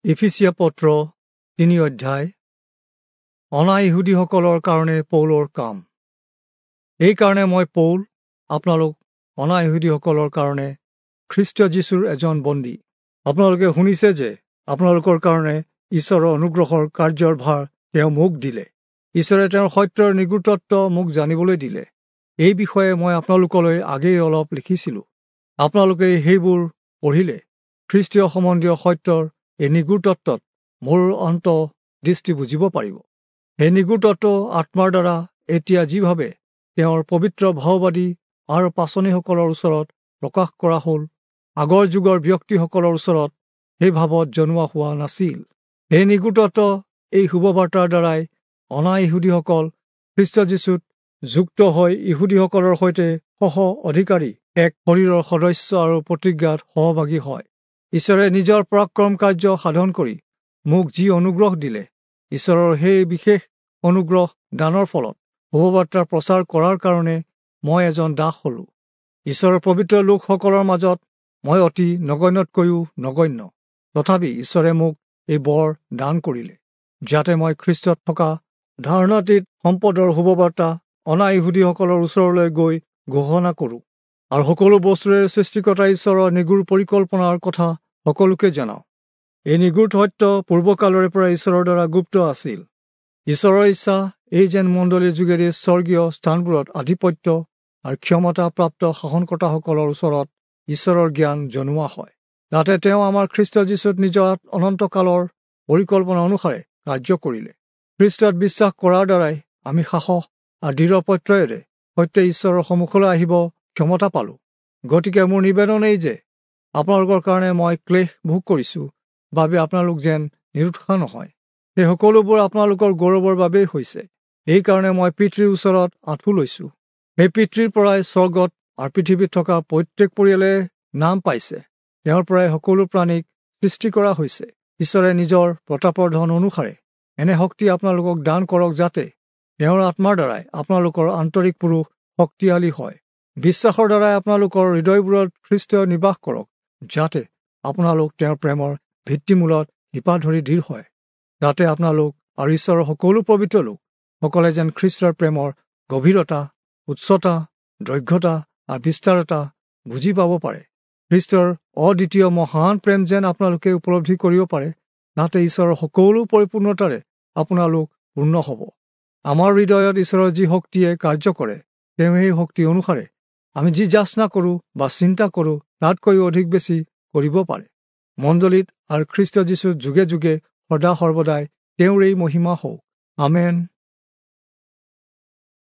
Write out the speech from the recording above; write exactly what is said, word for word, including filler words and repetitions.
ইফিচীয়া পত্ৰ তিনি অধ্যায়। অনা ইহুদীসকলৰ কাৰণে পৌলৰ কাম। এইকাৰণে মই পৌল, আপোনালোক অনা ইহুদীসকলৰ কাৰণে খ্ৰীষ্ট যীশুৰ এজন বন্দী। আপোনালোকে শুনিছে যে আপোনালোকৰ কাৰণে ঈশ্বৰৰ অনুগ্ৰহৰ কাৰ্যৰ ভাৰ তেওঁ মোক দিলে। ঈশ্বৰে তেওঁৰ সত্যৰ নিগূঢ়তত্ত্ব মোক জানিবলৈ দিলে। এই বিষয়ে মই আপোনালোকলৈ আগেয়ে অলপ লিখিছিলোঁ, আপোনালোকে সেইবোৰ পঢ়িলে খ্ৰীষ্টীয় সম্বন্ধীয় সত্যৰ এই নিগূঢ় তত্ত্বত মোৰ অন্ত দৃষ্টি বুজিব পাৰিব। সেই নিগূঢ় তত্ত্ব আত্মাৰ দ্বাৰা এতিয়া যিভাৱে তেওঁৰ পবিত্ৰ ভাওবাদী আৰু পাচনিসকলৰ ওচৰত প্ৰকাশ কৰা হ'ল, আগৰ যুগৰ ব্যক্তিসকলৰ ওচৰত সেই ভাৱত জনোৱা হোৱা নাছিল। সেই নিগূঢ় তত্ত্ব এই শুভবাৰ্তাৰ দ্বাৰাই অনা ইহুদীসকল খ্ৰীষ্ট যীশুত যুক্ত হৈ ইহুদীসকলৰ সৈতে সহ অধিকাৰী, এক শৰীৰৰ সদস্য আৰু প্ৰতিজ্ঞাত সহভাগী হয়। ঈশ্বৰে নিজৰ পৰাক্ৰম কাৰ্য সাধন কৰি মোক যি অনুগ্ৰহ দিলে, ঈশ্বৰৰ সেই বিশেষ অনুগ্ৰহ দানৰ ফলত শুভবাৰ্তা প্ৰচাৰ কৰাৰ কাৰণে মই এজন দাস হলোঁ। ঈশ্বৰৰ পবিত্ৰ লোকসকলৰ মাজত মই অতি নগণ্যতকৈও নগণ্য, তথাপি ঈশ্বৰে মোক এই বৰ দান কৰিলে, যাতে মই খ্ৰীষ্টত থকা ধাৰণাতীত সম্পদৰ শুভবাৰ্তা অনা ইহুদীসকলৰ ওচৰলৈ গৈ ঘোষণা কৰোঁ আৰু সকলো বস্তুৰে সৃষ্টিকৰ্তা ঈশ্বৰৰ নিগূঢ় পৰিকল্পনাৰ কথা সকলোকে জনাওঁ। এই নিগূঢ় সত্য পূৰ্বকালৰে পৰা ঈশ্বৰৰ দ্বাৰা গুপ্ত আছিল। ঈশ্বৰৰ ইচ্ছা এই যেন মণ্ডলীৰ যোগেদি স্বৰ্গীয় স্থানবোৰত আধিপত্য আৰু ক্ষমতাপ্ৰাপ্ত শাসনকৰ্তাসকলৰ ওচৰত ঈশ্বৰৰ জ্ঞান জনোৱা হয়, যাতে তেওঁ আমাৰ খ্ৰীষ্ট যীশুত নিজৰ অনন্তকালৰ পৰিকল্পনা অনুসাৰে কাৰ্য কৰিলে। খ্ৰীষ্টত বিশ্বাস কৰাৰ দ্বাৰাই আমি সাহস আৰু দৃঢ় প্ৰত্যয়েৰে সৈতে ঈশ্বৰৰ সন্মুখলৈ আহিব ক্ষমতা পালোঁ। গতিকে মোৰ নিবেদন এই যে আপোনালোকৰ কাৰণে মই ক্লেশ ভোগ কৰিছোঁ বাবে আপোনালোক যেন নিৰুৎসাহ নহয়। সেই সকলোবোৰ আপোনালোকৰ গৌৰৱৰ বাবেই হৈছে। এইকাৰণে মই পিতৃৰ ওচৰত আঁঠু লৈছোঁ। সেই পিতৃৰ পৰাই স্বৰ্গত আৰু পৃথিৱীত থকা প্ৰত্যেক পৰিয়ালে নাম পাইছে। তেওঁৰ পৰাই সকলো প্ৰাণীক সৃষ্টি কৰা হৈছে। ঈশ্বৰে নিজৰ প্ৰতাপৰ ধন অনুসাৰে এনে শক্তি আপোনালোকক দান কৰক, যাতে তেওঁৰ আত্মাৰ দ্বাৰাই আপোনালোকৰ আন্তৰিক পুৰুষ শক্তিশালী হয়। বিশ্বাসৰ দ্বাৰাই আপোনালোকৰ হৃদয়বোৰত খ্ৰীষ্ট নিবাস কৰক, যাতে আপোনালোক তেওঁৰ প্ৰেমৰ ভিত্তিমূলত শিপা ধৰি দৃঢ় হয়, যাতে আপোনালোক আৰু ঈশ্বৰৰ সকলো পবিত্ৰ লোক সকলে যেন খ্ৰীষ্টৰ প্ৰেমৰ গভীৰতা, উচ্চতা, দৈৰ্ঘ্যতা আৰু বিস্তাৰতা বুজি পাব পাৰে। খ্ৰীষ্টৰ অদ্বিতীয় মহান প্ৰেম যেন আপোনালোকে উপলব্ধি কৰিব পাৰে, যাতে ঈশ্বৰৰ সকলো পৰিপূৰ্ণতাৰে আপোনালোক পূৰ্ণ হ'ব। আমাৰ হৃদয়ত ঈশ্বৰৰ যি শক্তিয়ে কাৰ্য কৰে, তেওঁ সেই শক্তি অনুসাৰে আমি যি যাচনা কৰোঁ বা চিন্তা কৰোঁ তাতকৈও অধিক বেছি কৰিব পাৰে। মণ্ডলীত আৰু খ্ৰীষ্ট যীশুৰ যুগে যুগে সদা সৰ্বদাই তেওঁৰ এই মহিমা হওক। আমেন।